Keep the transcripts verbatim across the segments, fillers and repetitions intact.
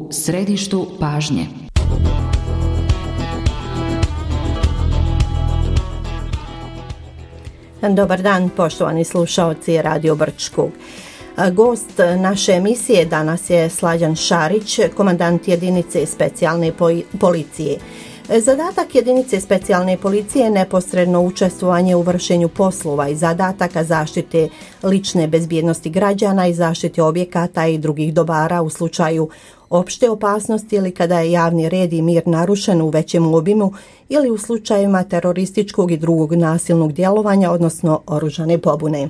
u središtu pažnje. Dobar dan, poštovani slušaoci Radio Brčkog. Gost naše emisije danas je Slađan Šarić, komandant jedinice specijalne policije. Zadatak jedinice specijalne policije je neposredno učestvovanje u vršenju poslova i zadataka zaštite lične bezbjednosti građana i zaštite objekata i drugih dobara u slučaju opšte opasnosti ili kada je javni red i mir narušen u većem obimu ili u slučajevima terorističkog i drugog nasilnog djelovanja, odnosno oružane pobune.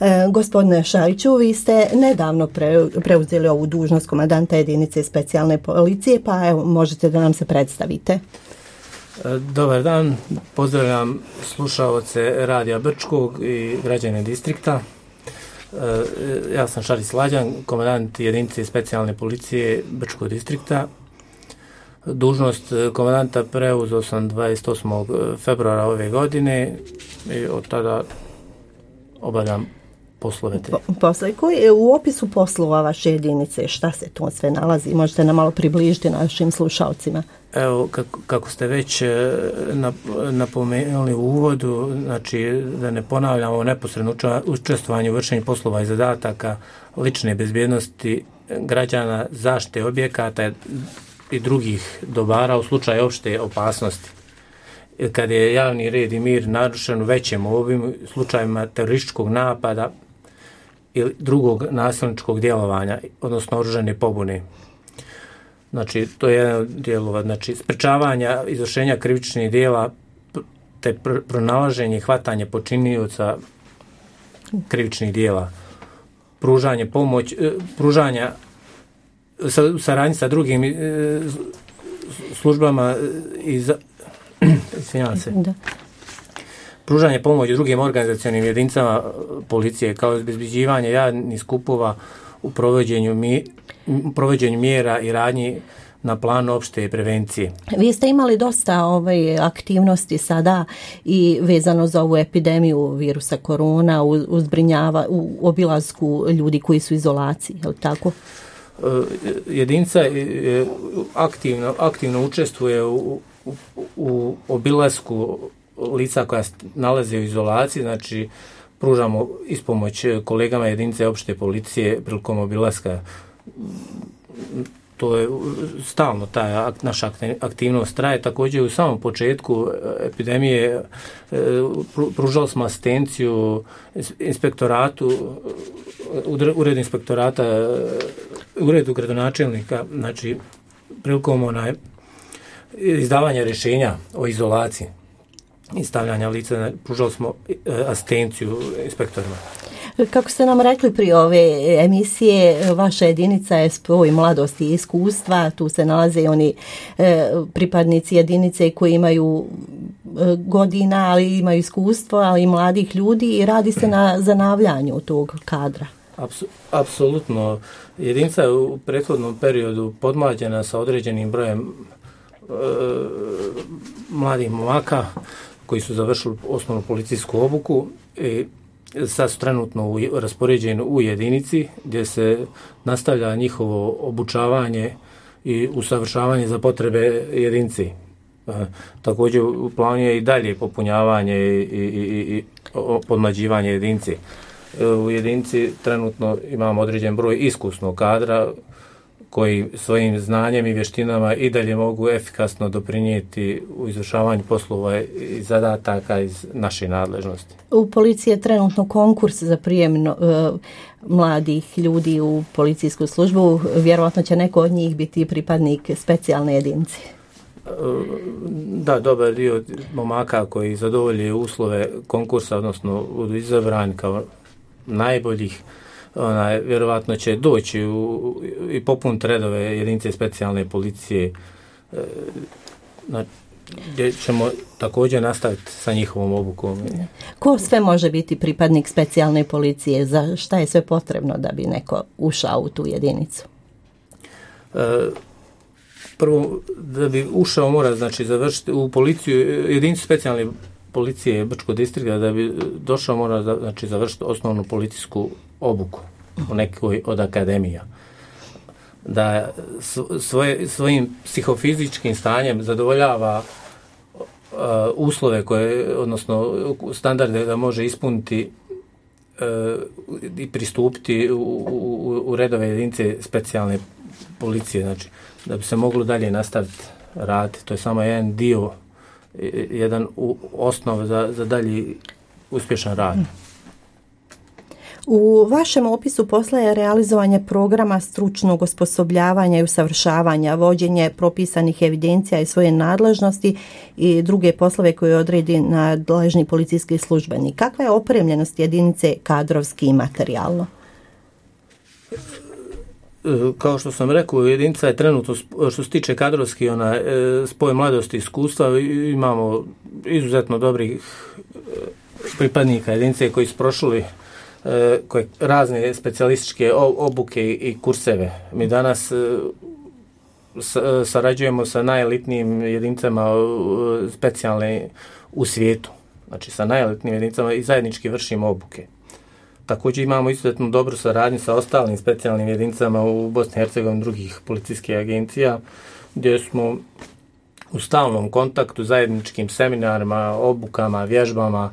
E, gospodine Šariću, vi ste nedavno pre, preuzeli ovu dužnost komandanta jedinice specijalne policije, pa evo, možete da nam se predstavite. Dobar dan, pozdravljam slušaoce Radija Brčkog i građane distrikta. Ja sam Šarić Slađan, komandant jedinice specijalne policije Brčkog distrikta. Dužnost komandanta preuzeo sam dvadeset osmog februara ove godine i od tada obavljam poslove te. Po, posle, koji je u opisu poslova vaše jedinice, šta se tu sve nalazi? Možete nam malo približiti našim slušalcima. Evo, kako, kako ste već napomenuli u uvodu, znači da ne ponavljamo neposredno učestvovanje u vršenju poslova i zadataka lične bezbjednosti građana, zaštite objekata i drugih dobara u slučaju opšte opasnosti. Kad je javni red i mir narušen u većem obimu, slučajima terorističkog napada ili drugog nasilničkog djelovanja, odnosno oružane pobune. Znači, to je jedan od dijelova, znači, sprečavanja izvršenja krivičnih djela te pr- pronalaženje i hvatanje počinioca krivičnih djela, pružanje pomoć, pružanja sa, saradnji sa drugim e, službama i za, izvinjavam se. Da. Pružanje pomoći drugim organizacionim jedinicama policije kao obezbeđivanje javnih skupova u provođenju, mi, u provođenju mjera i radnji na planu opšte prevencije. Vi ste imali dosta ovaj, aktivnosti sada i vezano za ovu epidemiju virusa korona, u, u, zbrinjava, u obilasku ljudi koji su u izolaciji, je li tako? Jedinica aktivno, aktivno učestvuje u, u, u obilasku lica koja nalaze u izolaciji, znači pružamo ispomoć kolegama jedinice opšte policije prilikom obilaska. To je stalno, ta naša aktivnost traje. Također u samom početku epidemije pružali smo asistenciju inspektoratu, uredu inspektorata, uredu gradonačelnika, znači prilikom onaj izdavanja rješenja o izolaciji i stavljanja lica, pružali smo asistenciju inspektorima. Kako ste nam rekli prije ove emisije, vaša jedinica je spoj mladosti i iskustva, tu se nalaze i oni e, pripadnici jedinice koji imaju e, godina, ali imaju iskustvo, ali i mladih ljudi i radi se na zanavljanju tog kadra. Apsolutno. Jedinica je u prethodnom periodu podmlađena sa određenim brojem e, mladih momaka koji su završili osnovnu policijsku obuku i sad su trenutno u, raspoređeni u jedinici gdje se nastavlja njihovo obučavanje i usavršavanje za potrebe jedinici. E, također u planu je i dalje popunjavanje i, i, i, i podmlađivanje jedinici. E, u jedinici trenutno imamo određen broj iskusnog kadra koji svojim znanjem i vještinama i dalje mogu efikasno doprinijeti u izvršavanju poslova i zadataka iz naše nadležnosti. U policiji je trenutno konkurs za prijem uh, mladih ljudi u policijsku službu. Vjerovatno će neko od njih biti pripadnik specijalne jedinice. Da, dobar dio momaka koji zadovolje uslove konkursa, odnosno budu izabrani kao najboljih, onaj, vjerovatno će doći u, i popuniti redove jedinice specijalne policije, e, na, gdje ćemo također nastaviti sa njihovom obukom. Ko sve može biti pripadnik specijalne policije? Za šta je sve potrebno da bi neko ušao u tu jedinicu? E, prvo, da bi ušao mora znači završiti u policiju, jedinicu specijalne policije Brčkog distrikta, da bi došao mora znači završiti osnovnu policijsku obuku u nekoj od akademija. da svoje, svojim psihofizičkim stanjem zadovoljava uh, uslove koje, odnosno standarde da može ispuniti uh, i pristupiti u, u, u redove jedinice specijalne policije, znači da bi se moglo dalje nastaviti raditi. To je samo jedan dio, jedan osnov za, za dalji uspješan rad. U vašem opisu posla je realizovanje programa stručnog osposobljavanja i usavršavanja, vođenje propisanih evidencija i svoje nadležnosti i druge poslove koje odredi nadležni policijski službenik. Kakva je opremljenost jedinice kadrovski i materijalno? Kao što sam rekao, jedinica je trenutno, što se tiče kadrovski, ona, spoj mladosti i iskustva, imamo izuzetno dobrih pripadnika jedinice koji su prošli koje razne specijalističke obuke i kurseve. Mi danas sarađujemo sa najelitnijim jedinicama specijalne u svijetu. Znači sa najelitnijim jedinicama i zajednički vršimo obuke. Također imamo izuzetno dobru saradnju sa ostalim specijalnim jedinicama u Bosni i Hercegovini, drugih policijskih agencija, gdje smo u stalnom kontaktu, zajedničkim seminarima, obukama, vježbama,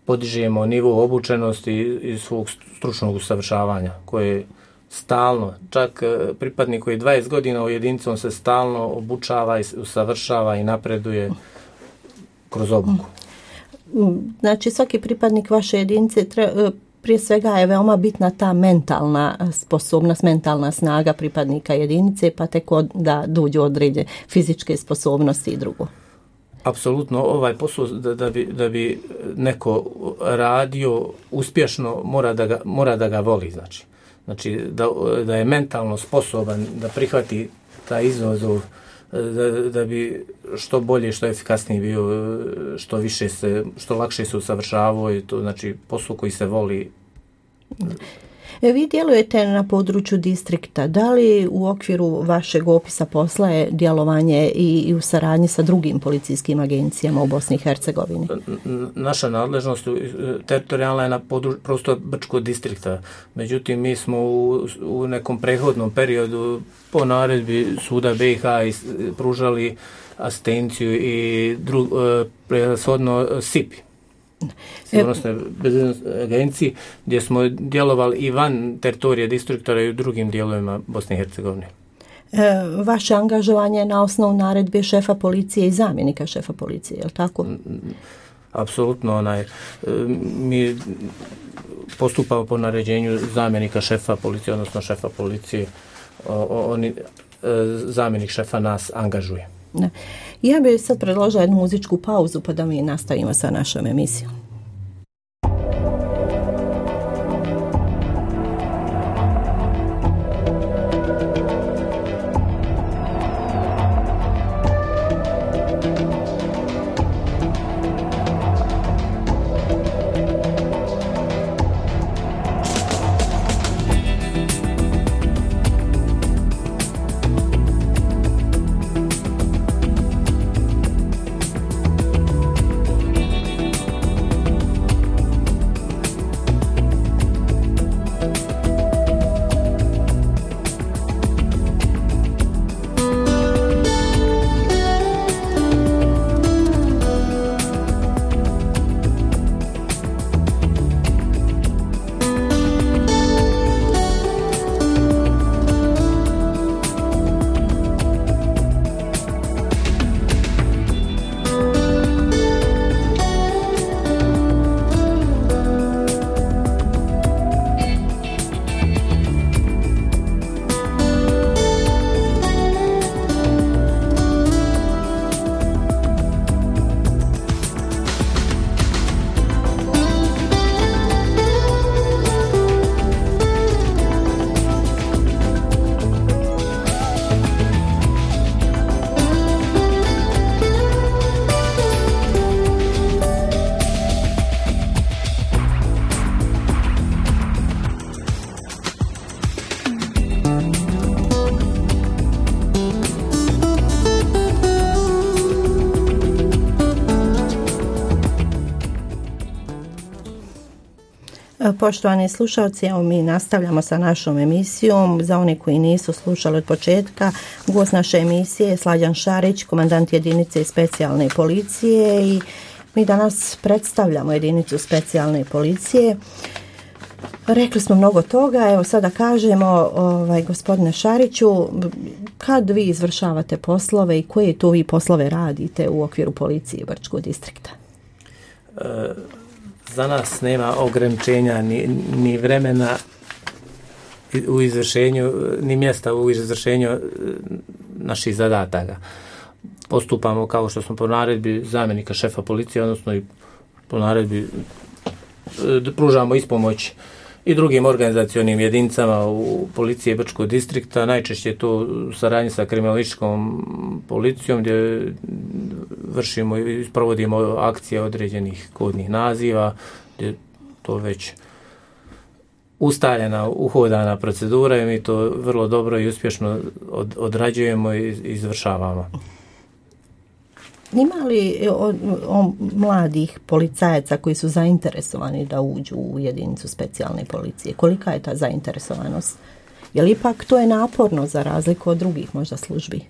podižemo nivo obučenosti i svog stručnog usavršavanja, koje je stalno, čak pripadnik koji dvadeset godina u jedinici, on se stalno obučava i usavršava i napreduje kroz obuku. Znači svaki pripadnik vaše jedinice treba, prije svega je veoma bitna ta mentalna sposobnost, mentalna snaga pripadnika jedinice, pa tek od, da dođu određene fizičke sposobnosti i drugo. Apsolutno, ovaj posao da, da, bi, da bi neko radio uspješno mora da ga, mora da ga voli, znači. Znači da, da je mentalno sposoban da prihvati taj izazov, da, da bi što bolje, što efikasnije bio, što više se, što lakše se usavršavao, i to znači posao koji se voli. Vi djelujete na području distrikta. Da li u okviru vašeg opisa posla je djelovanje i, i u saradnji sa drugim policijskim agencijama u Bosni i Hercegovini? Naša nadležnost teritorijalna je na prostoru Brčkog distrikta. Međutim, mi smo u, u nekom prethodnom periodu po naredbi suda B i H pružali asistenciju i drug, prevashodno S I P-i. Sigurnosne bezbednosne agencije, gdje smo djelovali i van teritorija distriktora i u drugim dijelovima Bosne i Hercegovine. E, vaše angažovanje je na osnovu naredbe šefa policije i zamjenika šefa policije, je li tako? Apsolutno, onaj, mi postupamo po naređenju zamjenika šefa policije, odnosno šefa policije, oni, zamjenik šefa nas angažuje. Ne. Ja bih sad predložila jednu muzičku pauzu pa da mi nastavimo sa našom emisijom. Poštovani slušalci, evo mi nastavljamo sa našom emisijom. Za one koji nisu slušali od početka, gost naše emisije je Slađan Šarić, komandant jedinice specijalne policije, i mi danas predstavljamo jedinicu specijalne policije. Rekli smo mnogo toga, evo sada kažemo, ovaj, gospodine Šariću, kad vi izvršavate poslove i koje to vi poslove radite u okviru policije Brčkog distrikta? E, za nas nema ograničenja ni, ni vremena u izvršenju, ni mjesta u izvršenju naših zadataka. Postupamo kao što smo po naredbi zamjenika šefa policije, odnosno i po naredbi pružamo ispomoć i drugim organizacionim jedinicama u policiji Brčkog distrikta. Najčešće je to u saradnji sa kriminalističkom policijom, gdje vršimo i provodimo akcije određenih kodnih naziva, gdje to već ustaljena, uhodana procedura i mi to vrlo dobro i uspješno od, odrađujemo i izvršavamo. Ima li o, o mladih policajaca koji su zainteresovani da uđu u jedinicu specijalne policije? Kolika je ta zainteresovanost? Je li ipak to je naporno za razliku od drugih možda službi? E,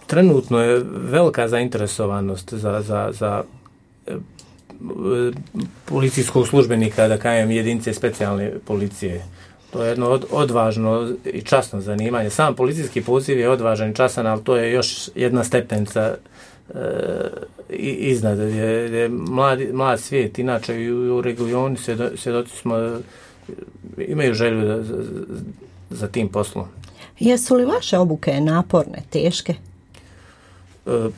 trenutno je velika zainteresovanost za, za, za e, policijskog službenika, da kažem, jedinice specijalne policije. To je jedno od, odvažno i časno zanimanje. Sam policijski poziv je odvažan i časan, ali to je još jedna stepenica e, iznad. Je, je mladi, mlad svijet, inače i u, u regionu svjedoci smo, imaju želju da, za, za tim poslom. Jesu li vaše obuke naporne, teške? E,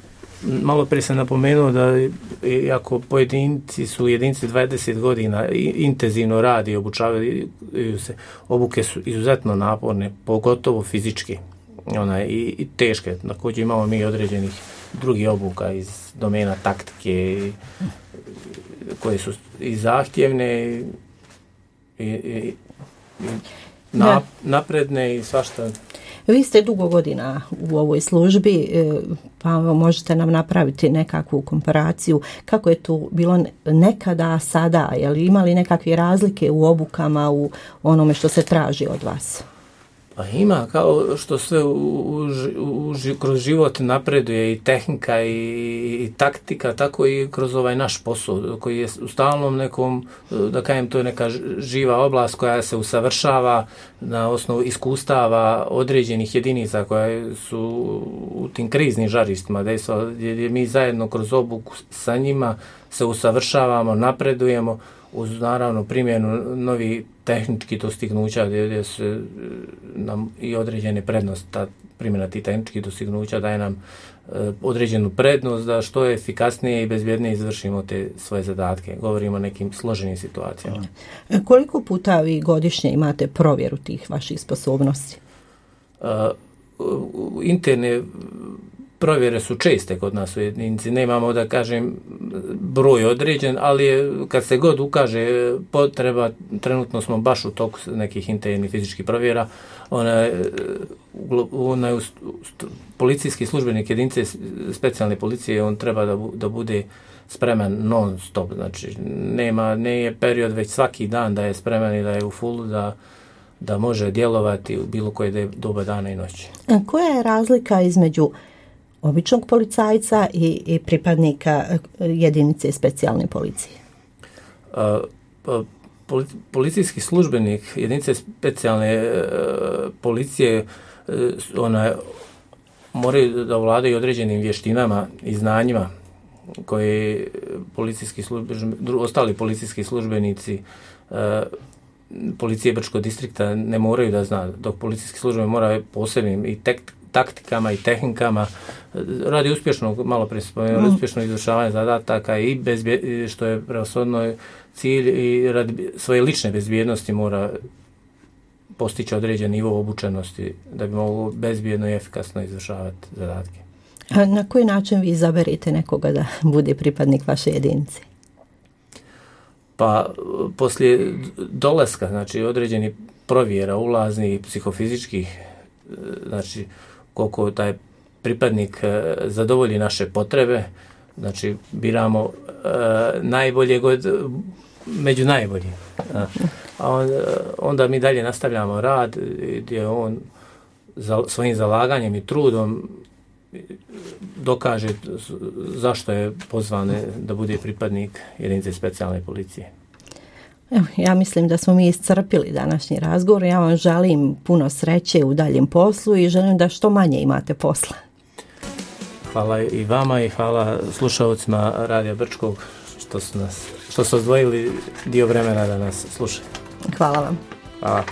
Malo prije sam napomenuo da iako pojedinci su jedinici dvadeset godina intenzivno radi i obučavaju se, obuke su izuzetno naporne, pogotovo fizički, ona, i, i teške. Također imamo mi određenih drugih obuka iz domena taktike koje su i zahtjevne i, i, i na, napredne i svašta. Vi ste dugo godina u ovoj službi, pa možete nam napraviti nekakvu komparaciju kako je to bilo nekada, sada, je li imali nekakve razlike u obukama, u onome što se traži od vas? Pa ima, kao što sve u, u, u, kroz život napreduje i tehnika i, i taktika, tako i kroz ovaj naš posao koji je u stalnom nekom, da kažem, to je neka živa oblast koja se usavršava na osnovu iskustava određenih jedinica koje su u tim kriznim žarištima, gdje mi zajedno kroz obuku sa njima se usavršavamo, napredujemo uz naravno primjenu novih tehničkih dostignuća gdje, gdje se nam i određene prednosti, ta primjena tih tehničkih dostignuća daje nam e, određenu prednost da što efikasnije i bezbjednije izvršimo te svoje zadatke. Govorimo o nekim složenim situacijama. Koliko puta vi godišnje imate provjeru tih vaših sposobnosti? E, interne provjere su česte kod nas u jedinici, nemamo da kažem broj određen, ali je, kad se god ukaže potreba, trenutno smo baš u toku nekih internih fizičkih provjera, ona, ona je policijski službenik jedinice specijalne policije, on treba da, bu, da bude spreman non stop, znači nema, ne je period već svaki dan da je spreman i da je u fullu, da da može djelovati u bilo koje doba dana i noći. Koja je razlika između običnog policajca i, i pripadnika jedinice specijalne policije? A, pa, policijski službenik jedinice specijalne e, policije e, ona, moraju da vladaju određenim vještinama i znanjima koje policijski službenici, ostali policijski službenici e, policije Brčkog distrikta ne moraju da zna, dok policijski službenik mora posebnim i tek, taktikama i tehnikama radi uspješnog, malo prije spomenuli, mm. uspješno izvršavanje zadataka i bezbje, što je preoshodno cilj, i radi svoje lične bezbjednosti mora postići određen nivo obučenosti da bi moglo bezbjedno i efikasno izvršavati zadatke. A na koji način vi izaberete nekoga da bude pripadnik vaše jedinice? Pa poslije dolaska, znači određeni provjera ulaznih psihofizičkih, znači koliko taj pripadnik zadovolji naše potrebe, znači biramo e, najboljeg od među najboljim. A onda mi dalje nastavljamo rad gdje on za, svojim zalaganjem i trudom dokaže zašto je pozvan da bude pripadnik jedinice specijalne policije. Evo, ja mislim da smo mi iscrpili današnji razgovor. Ja vam želim puno sreće u daljem poslu i želim da što manje imate posla. Hvala i vama i hvala slušalcima Radija Brčkog što su nas, što su odvojili dio vremena da nas slušaju. Hvala vam. Hvala.